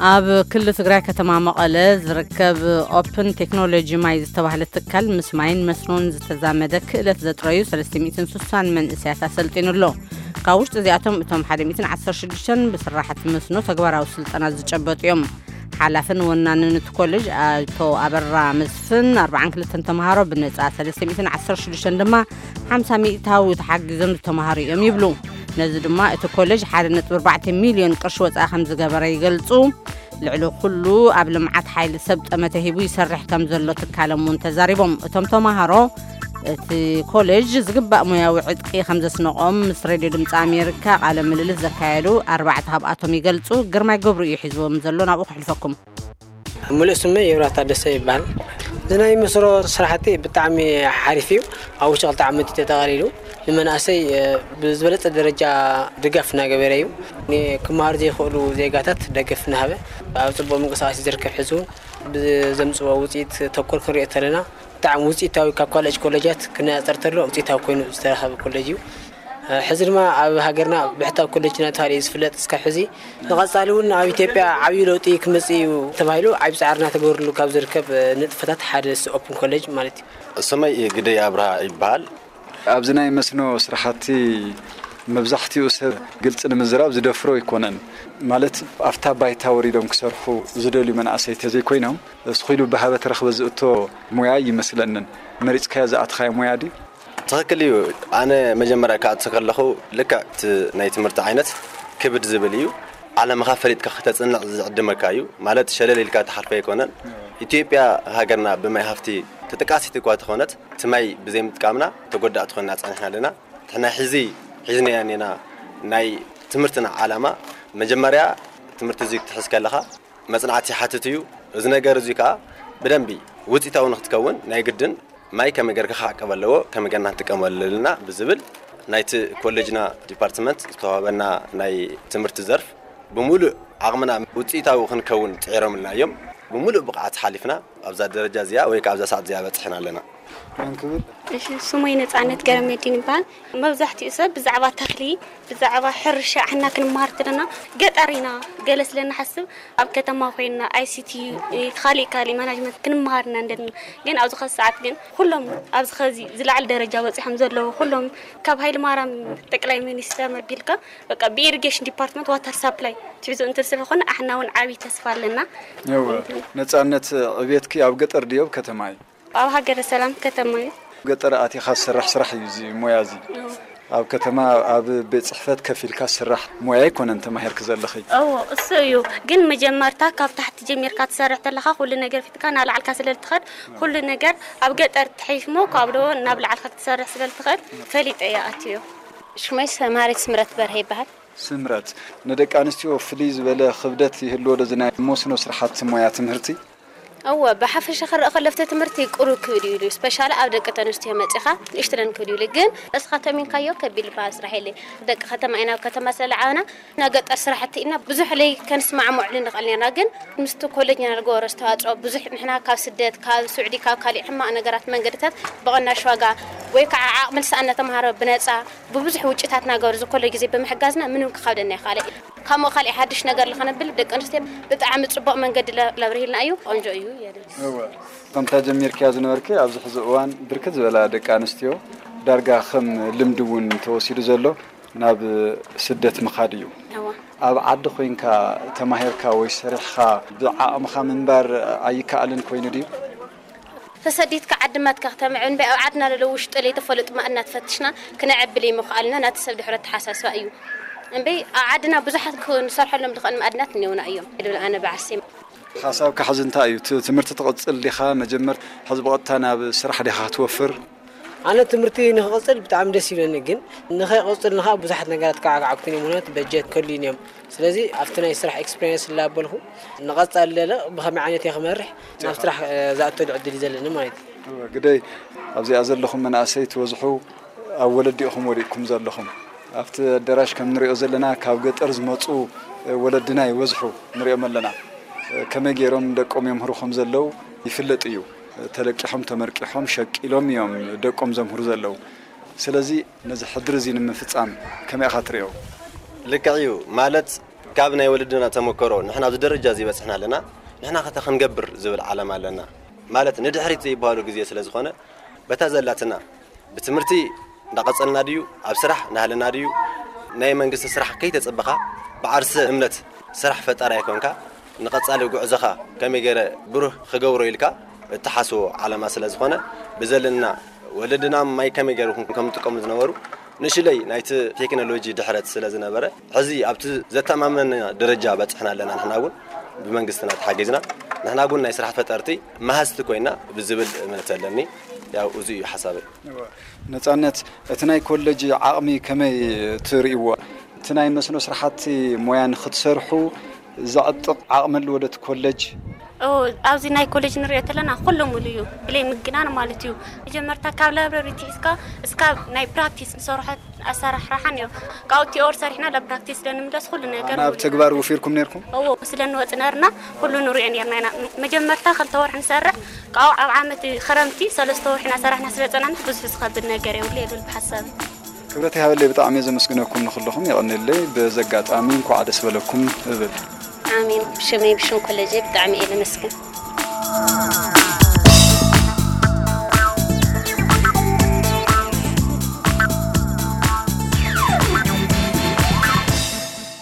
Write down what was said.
ኣብ ክልል ትግራይ ከተማ መቐለ ዝርከብ ኦፕን ቴክኖሎጂ ማይ ዝተባህለ ትካል ምስ ማይን መስኖን ዝተዛመደ ክእለት ዘጥረዩ ሰለስተ ሚእትን ስሳን መንእሰያት ኣሰልጢኑ ኣሎ። ካብ ውሽጢ እዚኣቶም እቶም ሓደ ሚእትን ዓሰርተ ሽዱሽተን ብስራሕቲ መስኖ ተግባራዊ ስልጠና ዝጨበጡ እዮም። ሓላፍን ወናንን እቲ ኮሌጅ ኣቶ ኣበራ መስፍን ኣርባዓን ክልተን ተምሃሮ ብነጻ፣ ሰለስተ ሚእትን ዓሰርተ ሽዱሽተን ድማ ሓምሳ ሚእታዊ ተሓጊዞም ዝተምሃሩ እዮም ይብሉ። ነዚ ድማ እቲ ኮሌጅ ሓደ ነጥቢ ኣርባዕተ ሚልዮን ቅርሺ ወጻኢ ከም ዝገበረ ይገልጹ። ልዕሊ ኩሉ ኣብ ልምዓት ሓይሊ ሰብ ጠመተ ሂቡ ይሰርሕ ከም ዘሎ ትካሎም እውን ተዛሪቦም። እቶም ተምሃሮ እቲ ኮሌጅ ዝግባእ ሞያዊ ዕጥቂ ከም ዘስነቖም ምስ ሬድዮ ድምፂ ኣሜሪካ ቃለ ምልልስ ዘካየዱ ኣርባዕተ ካብኣቶም ይገልጹ። ግርማይ ገብሩ እዩ ሒዝዎም ዘሎ፣ ናብኡ ከሕልፈኩም። ሙሉእ ስመይ የብራህ ታደሰ ይበሃል። እዚ ናይ መስኖ ስራሕቲ ብጣዕሚ ሓሪፍ እዩ። ኣብ ውሽጢ ክልተ ዓመት እዩ ተጠቓሊሉ። ንመናእሰይ፣ እ፣ ብዝበለጸ ደረጃ ድጋፍ እናገበረ እዩ። ን-፣ ክመሃሩ ዘይኽእሉ ዜጋታት ደገፍ እናሃበ ኣብ ጽቡቕ ምንቅስቓስ እዩ ዝርከብ። ሕዚ እውን ብዘምጽዎ ውጽኢት ተኮር ክንሪኦ ተለና ብጣዕሚ ውጽኢታዊ፣ ካብ ካልኦት ኮሌጃት ክነጻጸር ተሎ ውጽኢታዊ ኮይኑ ዝተረኸበ ኮሌጅ እዩ። ሕዚ ድማ ኣብ ሃገርና ብሕታዊ ኮሌጅ እናተባህለ እዩ ዝፍለጥ። እስካብ ሕዚ ንቐጻሊ እውን ኣብ ኢትዮጵያ ዓብዪ ለውጢ ክመጽእ እዩ ተባሂሉ ዓብዪ ጻዕሪ እናተገበረሉ ካብ ዝርከብ ንጥፈታት ሓደ እዚ ኦፕን ኮሌጅ ማለት እዩ። ስመይ ግደይ ኣብርሃ ይበሃል። ኣብዚ ናይ መስኖ ስራሕቲ መብዛሕትኡ ሰብ ግልፂ ንምዝራብ ዝደፍሮ ኣይኮነን። ማለት ኣብታ ባይታ ወሪዶም ክሰርሑ ዝደልዩ መናእሰይ ተዘይኮይኖም፣ ስኺሉ ብሃበ ተረኽበ ዝእቶ ሞያ ይመስለንን። መሪፅካዮ ዝኣትኻዮ ሞያ ድዩ? ትኽክል እዩ። ኣነ መጀመርያ ክኣቱ ከለኹ ልክዕ እቲ ናይ ትምህርቲ ዓይነት ክብድ ዝብል እዩ። ዓለምኻ ፈሊጥካ ከተጽንዕ ዝዕድመካ እዩ። ማለት ሸለል ኢልካ ትሓልፎ ኣይኮነን። ኢትዮጵያ ሃገርና ብማይ ሃፍቲ ተጠቃሲት እኳ ተኾነት፣ እቲ ማይ ብዘይምጥቃምና ተጎዳእቲ ኮይና ጸኒሕና ኣለና። ንሕና ሕዚ ሒዝናዮ እኒና ናይ ትምህርትና ዓላማ መጀመርያ ትምህርቲ እዚ ክትሕዝ ከለኻ መጽናዕቲ ይሓትት እዩ። እዚ ነገር እዚ ከኣ ብደንቢ ውጽኢታዊ ንክትከውን ናይ ግድን ማይ ከመይ ጌርካ ክዓቀብ ኣለዎ፣ ከመይ ጌርና ክንጥቀመሉ ኣለና ብዝብል ናይቲ ኮሌጅና ዲፓርትመንት ዝተዋህበና ናይ ትምህርቲ ዘርፍ ብምሉእ ዓቕምና ውጽኢታዊ ክንከውን ጽዒሮምልና እዮም። ብምሉእ ብቕዓት ሓሊፍና ኣብዛ ደረጃ እዚኣ ወይ ከኣ ኣብዛ ሰዓት እዚኣ በጺሕና ኣለና። መን ክብል? እሺ፣ ስመይ ነጻነት ገረመድህን ይበሃል። መብዛሕትኡ ሰብ ብዛዕባ ተኽሊ፣ ብዛዕባ ሕርሻ ሕና ክንመሃር ተለና ገጠር ኢና ገለ ስለ ንሓስብ፣ ኣብ ከተማ ኮይንና ኣይሲቲ፣ ካልእ ካልእ ማናጅመንት ክንመሃር ኢና እንደለና። ግን ኣብዚ ኸዚ ሰዓት ግን ኩሎም ኣብዚ ኸዚ ዝለዓለ ደረጃ በጺሖም ዘለዉ ኩሎም ካብ ሃይለማርያም ጠቅላይ ሚኒስተር መቢልካ በቃ ብኢሪጌሽን ዲፓርትመንት ዋተር ሳፕላይ ትሕዞ እንተ ስለኾነ ኣሕና እውን ዓብዪ ተስፋ ኣለና። እወ፣ ነጻነት፣ ዕብየትኪ ኣብ ገጠር ድዮ ኣብ ከተማ እዩ? ኣብ ሃገረ ሰላም ከተማ እዩ። ገጠር ኣቲኻ ዝስራሕ ስራሕ እዩ እዚ ሞያ እዚ። እዎ። ኣብ ከተማ ኣብ ቤት ጽሕፈት ከፊልካ ዝስራሕ ሞያ ኣይኮነን ተማሂርኪ ዘለኺ። እዎ፣ እሱ እዩ። ግን መጀመርታ ካብ ታሕቲ ጀሚርካ ትሰርሕ ተለኻ ኩሉ ነገር ፊትካ ናላዕልካ ስለ ልትኸድ ኩሉ ነገር ኣብ ገጠር ትሕይሽ እሞ ካብ ዶ ናብ ላዕልካ ክትሰርሕ ስለ ልትኸድ ፈሊጠ እየ ኣትዮ። ሽመይ ሰማሪት ስምረት በርሀ ይበሃል። ስምረት፣ ንደቂ ኣንስትዮ ፍልይ ዝበለ ክብደት ይህልዎ ዶ እዚ ናይ መስኖ ስራሕቲ ሞያ ትምህርቲ? እወ፣ ብሓፈሻ ክረኣ ከሎ ኣብቲ ትምህርቲ ቅሩብ ክብድ እዩ ኢሉ፣ ስፔሻሊ ኣብ ደቂ ተንስትዮ መጺኻ ንእሽትለን ክብድ እዩ ኢሉ። ግን እስኻ ተሚንካዮ ከቢድ ዝበሃል ስራሕ የለ። ደቂ ከተማ ኢና፣ ኣብ ከተማ ስለዓበና ናይ ገጠር ስራሕቲ ኢና ብዙሕ ለይ ከንስማዕምዕሉ ንኽእል ነርና። ግን ምስቲ ኮሌጅ ኢና ንገበሮ ኣስተዋጽኦ ብዙሕ ንሕና ካብ ስደት፣ ካብ ስዑዲ፣ ካብ ካሊእ ሕማቕ ነገራት መንገድታት ብቕናሽ ዋጋ ወይ ከዓ ዓቕሚ ዝሰኣነ ተምሃሮ ብነጻ ብብዙሕ ውጭታት ናገሩ ዝኾሎ ግዜ ብምሕጋዝና ምንም ክኸብደና ይኻለ። ከምኡ ካልእ ሓድሽ ነገር ለኸነብል ደቂ ኣንስትዮ ብጣዕሚ ጽቡቕ መንገዲ ለ-፣ ለብርሂልና እዩ። ቆንጆ እዩ የለ። እወ። ከምታ ጀሚርክያ ዝነበርኪ ኣብዚ ሕዚ እዋን ብርክት ዝበላ ደቂ ኣንስትዮ ዳርጋ ከም ልምዲ እውን ተወሲዱ ዘሎ ናብ ስደት ምኻድ እዩ። እወ። ኣብ ዓዲ ኮይንካ ተማሂርካ ወይ ሰሪሕኻ ብዓቕምኻ ምንባር ኣይከኣልን ኮይኑ ድዩ? ተሰዲድካ ዓዲ ማትካ ክተምዕብል እምበይ ኣብ ዓድና ለሎ ውሽጢ ለይተፈለጡ ማእድናት ፈትሽና ክነዕብል ይምኽኣልና ናቲ ሰብ ድሕረት ተሓሳስባ እዩ። እምበይ ኣብ ዓድና ብዙሓት ክንሰርሐሎም ዝኽእል ማእድናት እኒውና እዮም። ይብል ኣነ ብዓርሲ። ሓሳብካ ሕዚ እንታይ እዩ? ት-፣ ትምህርቲ ትቕጽል ዲኻ? መጀመር ሕዚ ብቐጥታ ናብ ስራሕ ዲኻ ክትወፍር? ኣነ ትምህርቲ ንክቕጽል ብጣዕሚ ደስ ይብለኒ፣ ግን ንኸይቕጽል ንኻ ብዙሓት ነገራት ከዓግዓግቱን እዮም። ምኽንያቱ በጀት ከልዩን እዮም። ስለዚ ኣብቲ ናይ ስራሕ ኤክስፔሪንስ እናበልኩ ንቐጻሊ ለለ ብኸመይ ዓይነት እየ ክመርሕ ናብ ስራሕ፣ እ፣ ዝኣተሉ ዕድል እዩ ዘለኒ ማለት እዩ። እወ፣ ግደይ ኣብዚኣ ዘለኹም መናእሰይ ትበዝሑ ኣብ ወለዲ ኢኹም ወዲቕኩም ዘለኹም። ኣብቲ ኣዳራሽ ከም ንሪኦ ዘለና ካብ ገጠር ዝመጹ፣ እ፣ ወለድና ይበዝሑ ንሪኦም ኣለና። እ፣ ከመይ ገይሮም ደቆም የምህሩ ከም ዘለዉ ይፍለጥ እዩ። እ፣ ተለቂሖም፣ ተመርቂሖም፣ ሸቂሎም እዮም ደቆም ዘምህሩ ዘለዉ። ስለዚ ነዚ ሕድሪ እዚ ንምፍጻም ከመይ ኢኻ ትሪኦ? ልክዕ እዩ። ማለት ካብ ናይ ወለድና ተመክሮ ንሕና ኣብዚ ደረጃ እዚ በፅሕና ኣለና፣ ንሕና ከተ ክንገብር ዝብል ዓላማ ኣለና። ማለት ንድሕሪት ዘይበሃሉ ግዜ ስለ ዝኾነ በታ ዘላትና ብትምህርቲ እንዳቐጸልና ድዩ፣ ኣብ ስራሕ እናሃለና ድዩ፣ ናይ መንግስቲ ስራሕ ከይተጸበኻ ብዓርሰ እምነት ስራሕ ፈጣሪ ኣይኮንካ፣ ንቐጻሊ ጉዕዞኻ ከመይ ገይረ ብሩህ ክገብሮ ኢልካ እትሓስቦ ዓላማ ስለ ዝኾነ ብዘለና ወለድና ማይ ከመይ ገይሩ ከም ዝጥቀሙ ዝነበሩ ንእሽለይ ናይቲ ቴክኖሎጂ ድሕረት ስለ ዝነበረ ሕዚ ኣብቲ ዘተማመነ ደረጃ በፅሕና ኣለና። ንሕና እውን ብመንግስትና ተሓጊዝና ንሕና እውን ናይ ስራሕ ፈጠርቲ መሃዝቲ ኮይና ብዝብል እምነት ኣለኒ። ያው እዚ እዩ ሓሳበይ። ነፃነት፣ እቲ ናይ ኮለጅ ዓቕሚ ከመይ ትርእይዎ? እቲ ናይ መስኖ ስራሕቲ ሞያ ንክትሰርሑ ዘዕጥቕ ዓቕሚ ኣለዎ ዶ እቲ ኮለጅ? ኣብዚ ናይ ኮሌጅ ንሪኦ ተለና ኩሉ ሙሉ እዩ ብለይ ምግናን ማለት እዩ። መጀመርታ ካብ ላይብረሪ ትሒዝካ እስካብ ናይ ፕራክቲስ ንሰርሖ ኣሰራርሓ ነይሩ። ካብኡ ቲኦር ሰሪሕና ናብ ፕራክቲስ ዶ ንምለስ ኩሉ ነገር ናብ ተግባር ውፊርኩም ነርኩም? እዎ ስለ ንወፅ ነርና ኩሉ ንሪኦ ነርና ኢና። መጀመርታ ክልተ ወርሒ ንሰርሕ ካብኡ ኣብ ዓመት ክረምቲ ሰለስተ ወርሒ እናሰራሕና ስለ ፀናና ብዙሕ ዝኸብድ ነገር የብሉ የብል ብሓሳብ ክብረት ይሃበለይ። ብጣዕሚ እየ ዘመስግነኩም ንኩልኹም የቐንየለይ። በዚ ኣጋጣሚ እንኳዕ ደስ በለኩም እብል። ኣሜን። ብሽመይ ብሽም ኮለጀይ ብጣዕሚ እየ ዘመስግን።